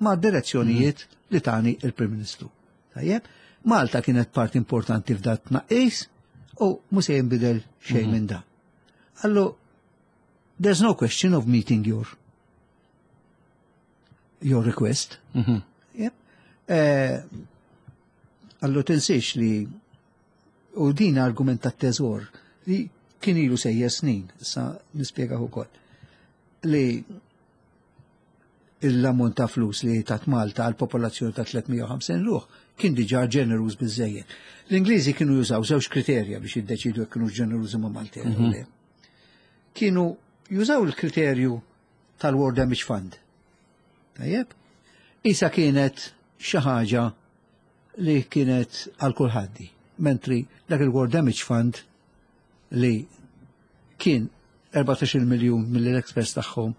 ma' direzzjonijiet li tani il-Prim Ministru. Tajjeb, Malta kienet part importanti f'dat tnaqqis u mhux se jinbidel xejn minn da. Allu, there's no question of meeting your request. Yep. Allu tinsiex li u din argument ta' teżor li kien ilu sejjer snin, issa nispjega ukoll, li l-ammont ta' flus li tat Malta għal popolazzjoni ta' 350 ruħ kien diġà ġeneruż biżejjed. L-Ingliżi kienu jużaw żewġ kriterja biex jiddeċidu jekk kienu ġenerużi ma' Malta jew le. Kienu jużaw il-kriterju tal-War Damage Fund. Tajjeb? Isa kienet xi ħaġa li kienet għal kulħadd. Mentri dak il-War Damage Fund li kien 14 miljun mill-experts tagħhom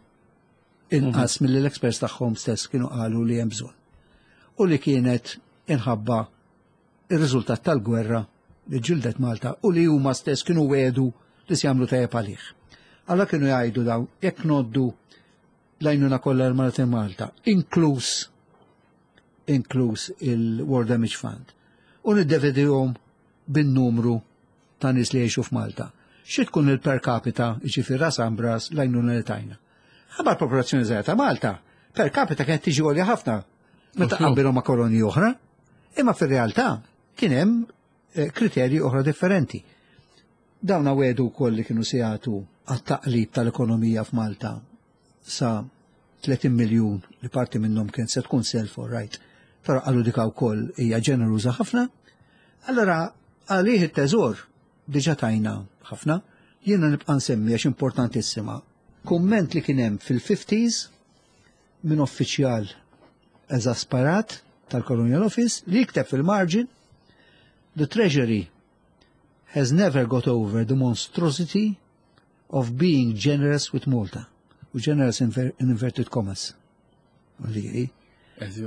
inqas mill-experts tagħhom stess kienu qalu li hemm bżonn. U li kienet inħabba ir-riżultat tal-gwerra li ġildet Malta u li huma stess kienu wedu li se jagħmlu tajjeb għalih. Alla kienu jgħidu daw jekk noddu l-għajnuna kollha l-Malta Malta, inkluż inkluż il-War Damage Fund. U niddevedihom bin-numru ta' nies li jgħixu f'Malta. Xi tkun il-per capita, jiġifieri ras ambras l-għajnuna li tajna. Ħabba l-popolazzjoni żgħira ta' Malta, per capita kienet tiġi għolja ħafna meta qabbilhom ma' kolonji oħra, imma fir-realtà kien hemm kriterji oħra differenti. Dawn wedu wkoll li kienu se jagħtu għat-taqlib tal-ekonomija f'Malta sa 30 miljun li parti minnhom kien se tkun self all right. Però qalu dika wkoll hija ġeneruża ħafna. Allora għalih it-teżor diġà tajna ħafna, jiena nibqa' nsemmi għax importantissima. Kumment li kien hemm fil-50s minn uffiċjal eżasparat tal-Colonial Office li jikteb fil-margin: "The Treasury has never got over the monstrosity of being generous with Malta." U generous in inverted commas. Li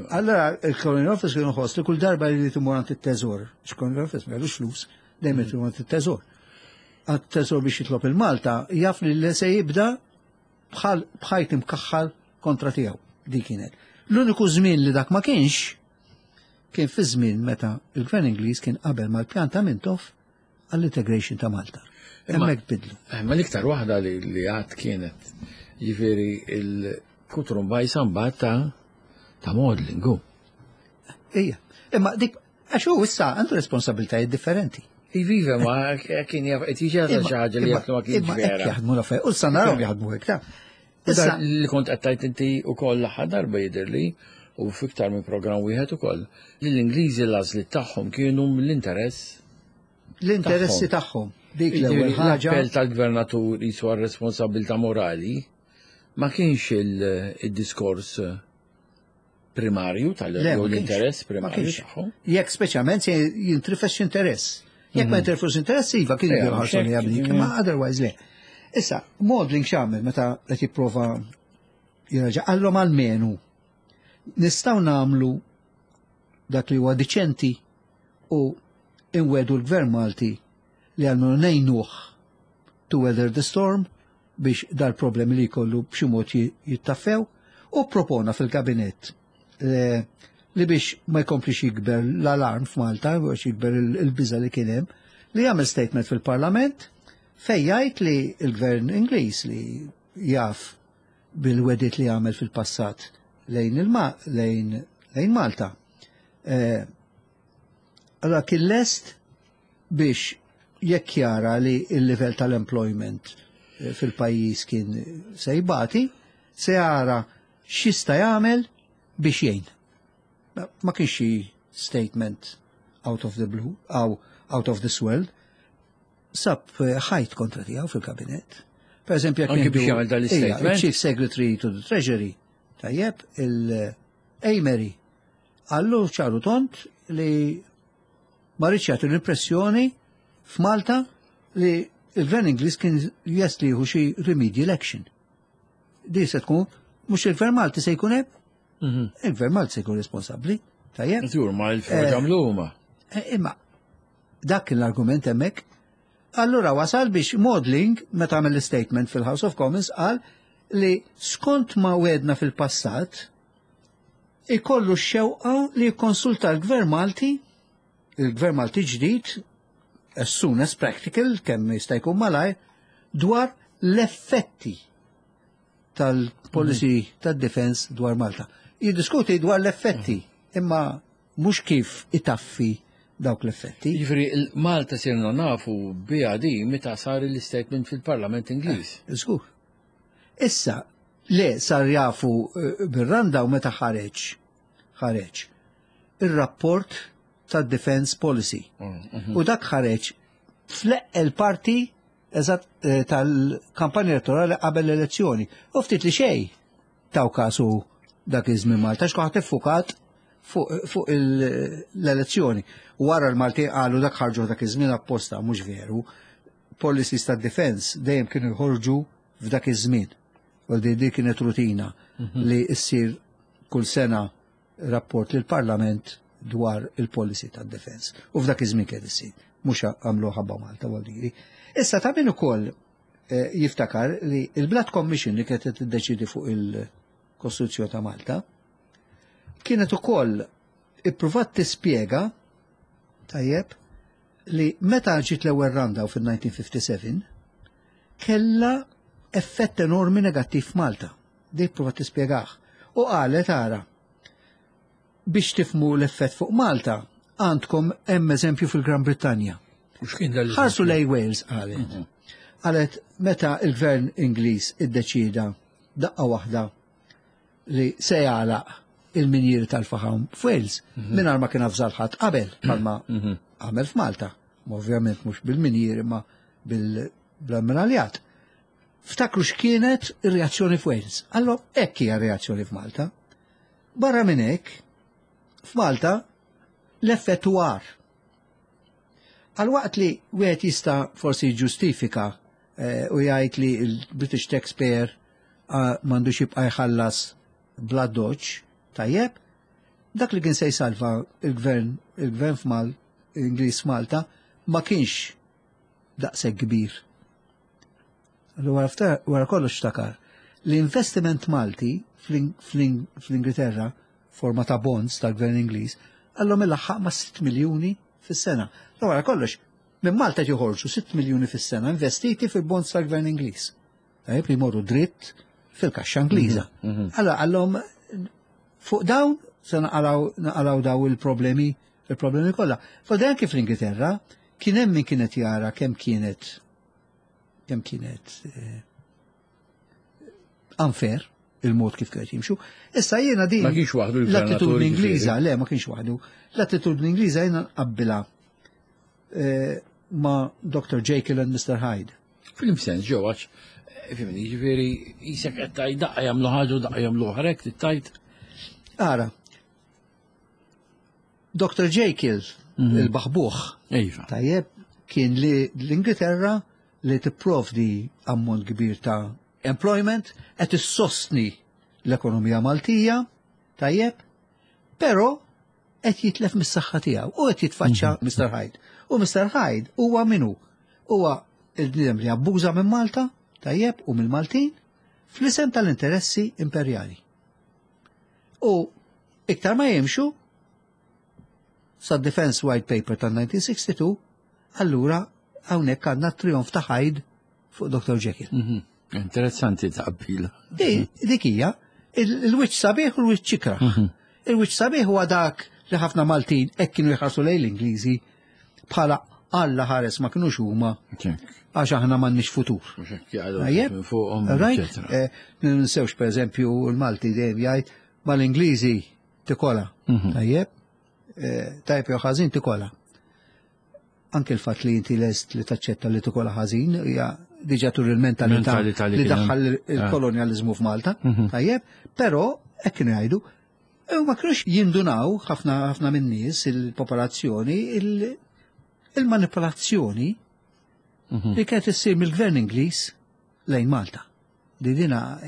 Allora, il-Colonial Office kienu ħoss li kull darba li timur għand it-teżor, x-Colonial Office ma kellux flus, dejjem timur għand it-teżor. Għand it-teżor biex jitlob il-Malta, jaf li se jibda bħal bħajt imkaħħal kontra tiegħu. Dik kienet. L-uniku żmien li dak ma kienx kien fi żmien meta il-Gvern Ingliż kien qabel mal-pjan ta' Mintoff għall-integration ta' Malta. Hemmhekk bidlu. Ma l-iktar waħda li għad kienet, jiġifieri il-kutrum bajsa mbagħad ta' Maudling. Ija, imma dik għax hu issa għandu responsabiltajiet differenti. Iviva, ma kien jaf, qed jiġi xi ħaġa li jaf ma kienx vera. Jaħdmu l-affarijiet, u issa narahom jaħdmu hekk ta'. Issa li kont qed tgħid inti wkoll l-aħħar darba jidhirli u fiktar minn programm wieħed ukoll li l-Ingliżi l-għażliet tagħhom kienu mill-interess l-interessi tagħhom. Dik l-ewwel ħaġa. L-appell tal-gvernatur jiswa responsabilità morali ma kienx il-diskors primarju tal-interess primarju tagħhom. Jekk speċjalment se jintrifes interess. Jekk ma jintrifes interess, iva kien jħarsu li jabdik, imma otherwise le. Issa, Maudling x'għamel meta qed jipprova jirraġa' qallhom almenu nistgħu nagħmlu dak li huwa diċenti u inwedu l-Gvern Malti li għalmenu ngħinuh to weather the storm biex dal-problemi li jkollu b'xi mod jittaffew, u propona fil-kabinett li biex ma jkomplix jikber l-alarm f'Malta, biex jikber il-biża li kien hemm, li jagħmel statement fil-Parlament fejn jgħid li l-Gvern Ingliż li jaf bil-wedit li għamel fil-passat lejn il-ma lejn lejn Malta. Allora kien lest biex jekk jara li il-livell tal-employment fil-pajjiż kien se jbati, se jara x'jista' jagħmel biex jgħin. Ma kienx xi statement out of the blue, out of this world. Sab ħajt kontra tiegħu fil-kabinet. Per eżempju, jekk Anki biex jagħmel dan l-statement? Chief Secretary to the Treasury, tajjeb, il-Amery, qallu ċar u tond li ma riedx jagħti l-impressjoni f'Malta li il-Gvern Ingliż kien lest li jieħu xi remedial action. Di se tkun mhux il-Gvern Malti se jkun hemm, il-Gvern Malti se jkun responsabbli, tajjeb. Żgur, ma l-għamlu huma. Imma dak kien l-argument hemmhekk. Allura wasal biex Maudling, meta għamel l-statement fil-House of Commons, qal li skont ma wedna fil-passat, ikollu x-xewqa li jikkonsulta l-Gvern Malti, il-Gvern Malti ġdid, as soon as practical, kemm jista' jkun malaj, dwar l-effetti tal-policy tad-defense dwar Malta. Jiddiskuti dwar l-effetti, imma mhux kif itaffi dawk l-effetti. Jiġifieri Malta sirna nafu biha di meta sar l-statement fil-Parlament Ingliż. Żgur. Issa, le sar jafu bir-randa u meta ħareġ il-rapport tad-Defense Policy. U dak ħareġ fl-eqqel parti eżatt tal-kampanja elettorali qabel l-elezzjoni. U ftit li xej taw kasu. dak iż-żmien Malta, x'kulħadd iffukat fuq l-elezzjoni. Wara l-Malti qalu dak ħarġu dak iż-żmien apposta, mhux veru. Policies ta' defense dejjem kienu jħorġu f'dak iż-żmien. U di kienet rutina li ssir kull sena rapport lil parlament dwar il-policy ta' defense. U f'dak iż-żmien kienet issir. Mhux għamlu ħabba Malta għal Issa ta' min ukoll jiftakar li il-Blood Commission li kienet tiddeċidi fuq il-Kostituzzjoni ta' Malta kienet ukoll ippruvat tispjega tajjeb li meta ġiet l-ewwel randa fil-1957 kella effett enormi negattiv f'Malta. Dik provat tispjegah. U qalet ara biex tifmu l-effett fuq Malta għandkom hemm eżempju fil-Gran Brittanja. U x'kien dal Ħarsu lej Wales qalet. Qalet meta il-gvern Ingliż iddeċida daqqa waħda li se jagħlaq il-minjiri tal-faħam f'Wales mingħajr ma kien avżal ħadd qabel bħalma għamel f'Malta. Ovvjament mhux bil-minjiri ma bil-ammiraljat. Ftakru x'kienet ir-reazzjoni f'Wales. Allora hekk hija reazzjoni f'Malta. Barra minn hekk, f'Malta l-effett huwa agħar. Għal waqt li wieħed jista' forsi ġustifika u jgħid li l-British taxpayer m'għandux jibqa' jħallas bla doċ, tajjeb, dak li kien se jsalva il-gvern f'Mal, Ingliż f'Malta, ma kienx daqshekk kbir. Allura wara kollox ftakar l-investiment Malti fl-Ingilterra forma ta' bonds tal-gvern Ingliż għallhom ilaħħaq ma' 6 miljuni fis-sena. Wara kollox, minn Malta joħorġu 6 miljuni fis-sena investiti fil-bonds tal-gvern Ingliż. Tajjeb li jmorru dritt fil-kaxxa Ingliża. Allora għallhom fuq dawn se naqalaw daw il-problemi il-problemi kollha. Fa anke fl-Ingilterra kien hemm min kienet jara kemm kienet unfair il-mod kif kienet jimxu. Issa jiena din Ma kienx waħdu l-attitudni Ingliża, le ma kienx waħdu. L-attitudni Ingliża jiena nqabbilha ma' Dr. Jekyll and Mr. Hyde. Fil-sens ġew għax, fimni, ġifieri jisek qed tgħid daqqa jagħmlu ħaġa u daqqa jagħmlu oħra hekk tgħid. Ara, Dr. Jekyll, il-baħbuħ, tajjeb, kien li l-Ingilterra li tipprovdi ammont kbir ta' employment qed issostni l-ekonomija Maltija, tajjeb, però qed jitlef mis-saħħa tiegħu u qed jitfaċċa Mr. Hyde. U Mr. Hyde huwa minu? Huwa il-bniedem li abbuża minn Malta, tajjeb, u mill-Maltin, fl-isem tal-interessi imperjali. U iktar ma jimxu, sa Defense White Paper tal-1962, allura hawnhekk għandna trionf ta' Hyde fuq Dr. Jekyll. Interessanti taqbila. Dik hija il-wiċċ sabiħ u l-wiċċ ikrah. Il-wiċċ sabiħ huwa dak li ħafna Maltin hekk kienu jħarsu lejn l-Ingliżi bħala Alla ħares ma kinux huma għax aħna m'għandniex futur. Tajjeb? Right? Ninsewx per eżempju l-Malti dejjem jgħid mal-Ingliżi tikola. Tajjeb? Tajjeb jew ħażin tikola. Anke l-fatt li inti lest li taċċetta li tikola ħażin hija diġà tur il-mentalità li daħħal il-kolonjalizmu f'Malta. Tajjeb? Però hekk kienu jgħidu u ma kienux jindunaw ħafna ħafna min-nies il-popolazzjoni il-manipolazzjoni li kienet issir mill-gvern Ingliż lejn Malta. Di dina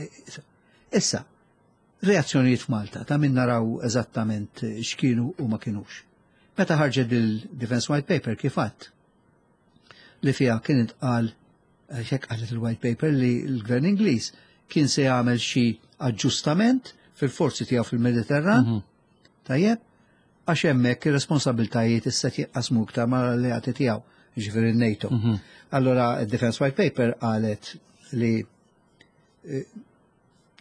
issa reazzjonijiet f'Malta ta' min naraw eżattament x'kienu u ma kienux. Meta ħarġet il-Defense White Paper kif għadt li fiha kien intqal hekk qalet il-White Paper li l-Gvern Ingliż kien se jagħmel xi aġġustament fil-forzi tiegħu fil-Mediterran. Tajjeb, għax hemmhekk ir-responsabiltajiet issa jinqasmu iktar mal-alleati tiegħu, jiġifieri n-NATO. Allora il-Defense White Paper qalet li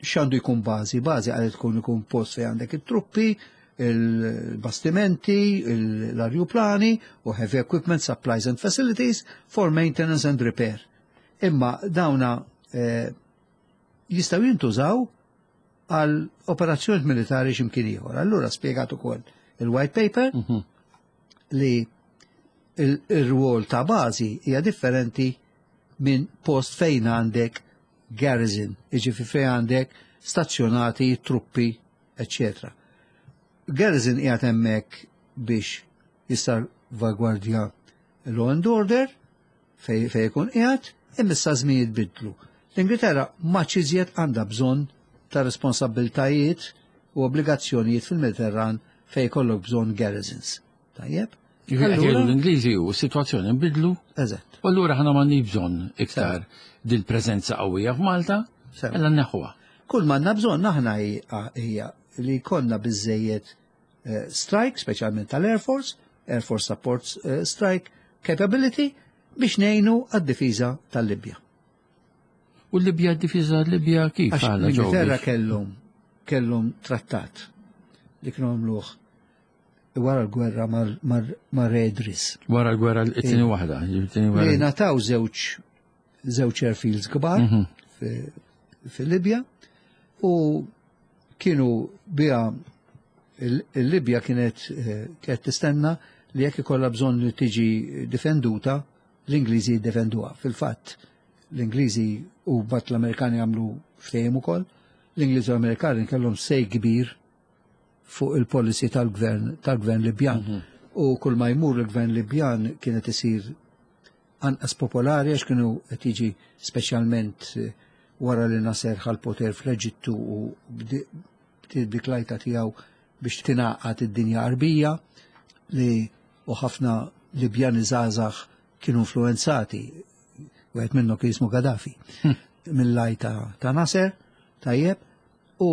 x'għandu jkun bażi, bażi qalet tkun ikun post fejn għandek it-truppi, il-bastimenti, l-arjuplani u heavy equipment, supplies and facilities for maintenance and repair. Imma dawna jistgħu jintużaw għal operazzjoni militari x'imkien ieħor. Allura spjegat ukoll il-white paper li il-rwol ta' bażi hija differenti minn post fejn għandek garrison, jiġifieri fejn għandek stazzjonati truppi. eccetera. Garrison qiegħed hemmhekk biex jissalvagwardja law and order fej fej ikun qiegħed, imma issa żmien bidlu. L-Ingilterra ma iżjed għandha bżonn ta' responsabbiltajiet u obbligazzjonijiet fil-Mediterran fej kollok bżonn garrisons. Tajjeb? Allura l-Ingliżi u s-sitwazzjoni nbidlu. Eżatt. U allura ħana m'għandniex bżonn iktar dil-preżenza qawwija f'Malta, ella neħħuha. Kull m'għandna bżonn aħna hija li jkollna biżejjed eh, strike, speċjalment tal-Air Force, Air Force Support eh, Strike Capability, biex ngħinu għad-difiża tal-Libja. U l-Libja d-difiża Libja kif? Għax l-Ingilterra kellhom kellhom trattat li kienu għamluh wara l-gwerra mar Redris. Wara l-gwerra it-tieni waħda. Li nataw żewġ żewġ airfields kbar mhm. fil-Libja u kienu bija il-Libja kienet eh, kienet tistenna li jekk ikollha bżonn li tiġi difenduta, l-Ingliżi jiddefenduha. Fil-fatt, l-Ingliżi u bat l-Amerikani għamlu ftehim ukoll, l-Ingliżi u l-Amerikani kellhom sej kbir fuq il-policy tal-gvern tal-gvern Libjan. Mhm. U kull ma jmur il-gvern Libjan kienet isir anqas popolari għax kienu qed jiġi speċjalment eh, wara li Nasser ħal poter fl-Eġittu u bdiet dik lajta tiegħu biex tingħaqad id-dinja Arbija li u ħafna Libjani żgħażagħ kienu influenzati wieħed minnhom kien jismu Gaddafi hm. mill-lajta ta' Nasser tajjeb u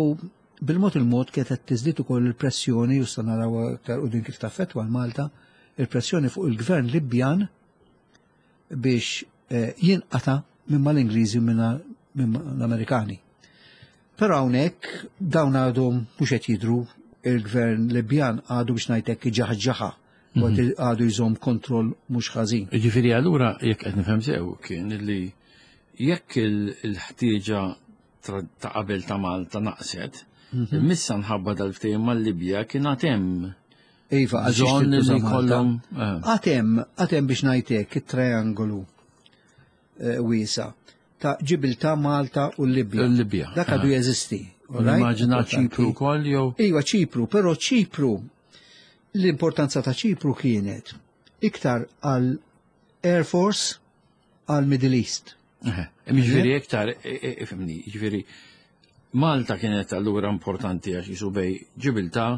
bil-mod il-mod kienet qed tiżdied ukoll il-pressjoni u sta naraw aktar din kif taffettwa l-Malta, il-pressjoni fuq il-gvern Libjan biex eh, jinqata minn mal-Ingliżi u minn l-Amerikani. Però hawnhekk dawn għadhom mhux qed jidhru il-gvern Libjan għadu biex ngħidlek ġaħġaħa mhm. għadu jżomm kontroll mhux ħażin. Ġifieri allura jekk qed nifhem sew kien li jekk il-ħtieġa ta' qabel ta' Malta naqset, mhm. missa nħabba dal-ftehim mal-Libja kien għad hemm Iva, għal li jkollhom. Eh. Għatem, għatem biex ngħidlek it-triangolu eh, wiesa ta' Ġibilta, Malta u l-Libja. L-Libja. Dak għadu eh. jeżisti. Immaġina Ċipru wkoll jew? Iva Ċipru, però Ċipru l-importanza ta' Ċipru kienet iktar għal Air Force għal Middle East. Ġifieri iktar, ifhimni, ġifieri Malta kienet allura importanti għax jisu bej Ġibilta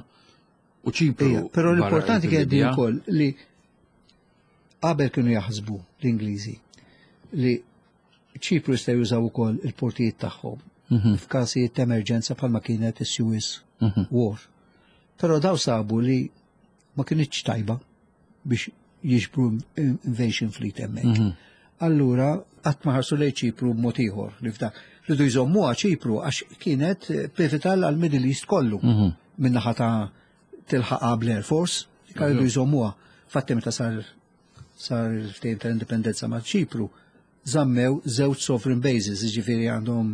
u Ċipru. Però l-importanti kienet din ukoll li qabel kienu jaħsbu l-Ingliżi li Ċipru jista' jużaw ukoll il-portijiet tagħhom mhm. f'każijiet ta' emerġenza bħalma kienet is-Suez mhm. War. Però daw sabu li ma kinitx tajba biex jiġbru invasion fleet hemmhekk. Mhm. Allura qatt ma ħarsu lejn Ċipru b'mod ieħor li f'dak. Ridu jżommuha Ċipru għax kienet pivotal għal Middle East kollu mhm. min-naħa ta' tilħaqa bl-Air Force, rridu jżommuha. Fatti meta sar sar il-ftehim tal-indipendenza ma' Ċipru, żammew żewġ sovereign bases, jiġifieri għandhom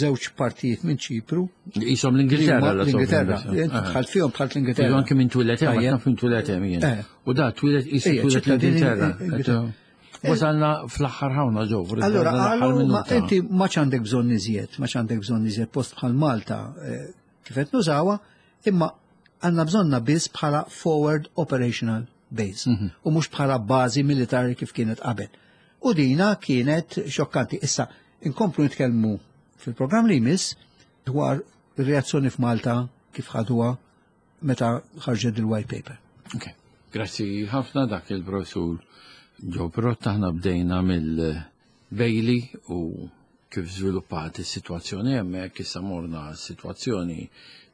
żewġ partijiet minn Ċipru. Jisom l-Ingilterra. L-Ingilterra. Dħalt fihom dħalt l-Ingilterra. Anke minn twilet hemm, naf minn twilet hemm jien. Eh. U da twilet jisu twilet l-Ingilterra. Eh. Wasalna fl-aħħar ħawna ġew. Allura, ma inti ma għandek bżonn iżjed, ma għandek bżonn iżjed post bħal Malta eh, kif qed nużawha, imma għandna bżonna biss bħala forward operational base mhm. u mhux bħala bażi militari kif kienet qabel. U dina kienet xokkanti. Issa, Inkomplu nitkellmu fil-programm li jmiss dwar ir-reazzjoni f'Malta kif ħaduha meta ħarġet il-white paper. Ok, grazzi ħafna dak il-professur Joe Pirotta aħna bdejna mill-Bailey u kif żviluppat is-sitwazzjoni hemmhekk issa morna s-sitwazzjoni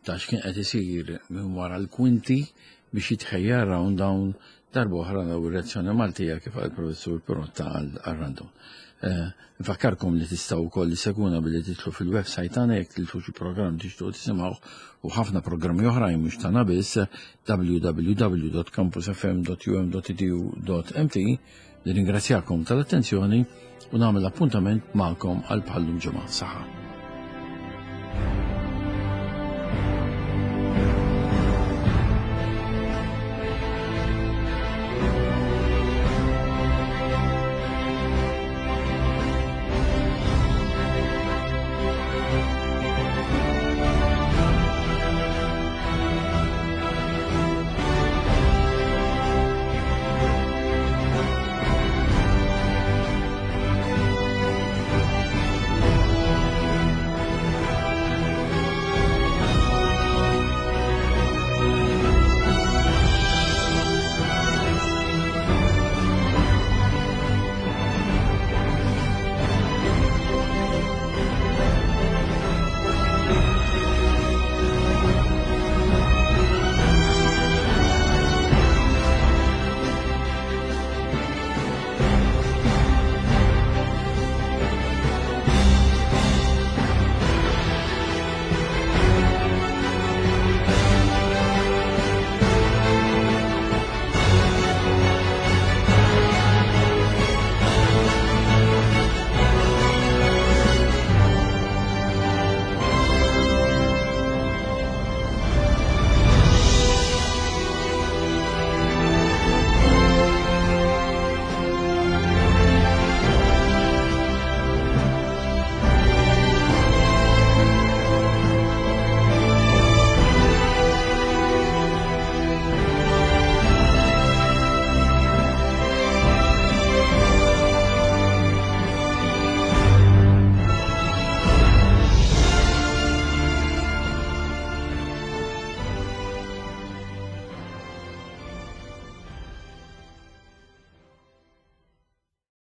ta' x'kien qed isir minn wara l-kwinti biex jitħejja round down Darba oħra naraw ir-reazzjoni Maltija kif qal il-Professur Pirotta għal-rundown. Eh, nfakkarkom li tistgħu wkoll isseguna billi titlu fil-website tagħna jekk tilfu xi programm tixtuq tisimgħu u ħafna programmi oħrajn mhux tagħna biss www.campusfm.um.edu.mt Nirringrazzjakom tal-attenzjoni u nagħmel appuntament magħkom għal bħallum ġimgħa. Saħħa.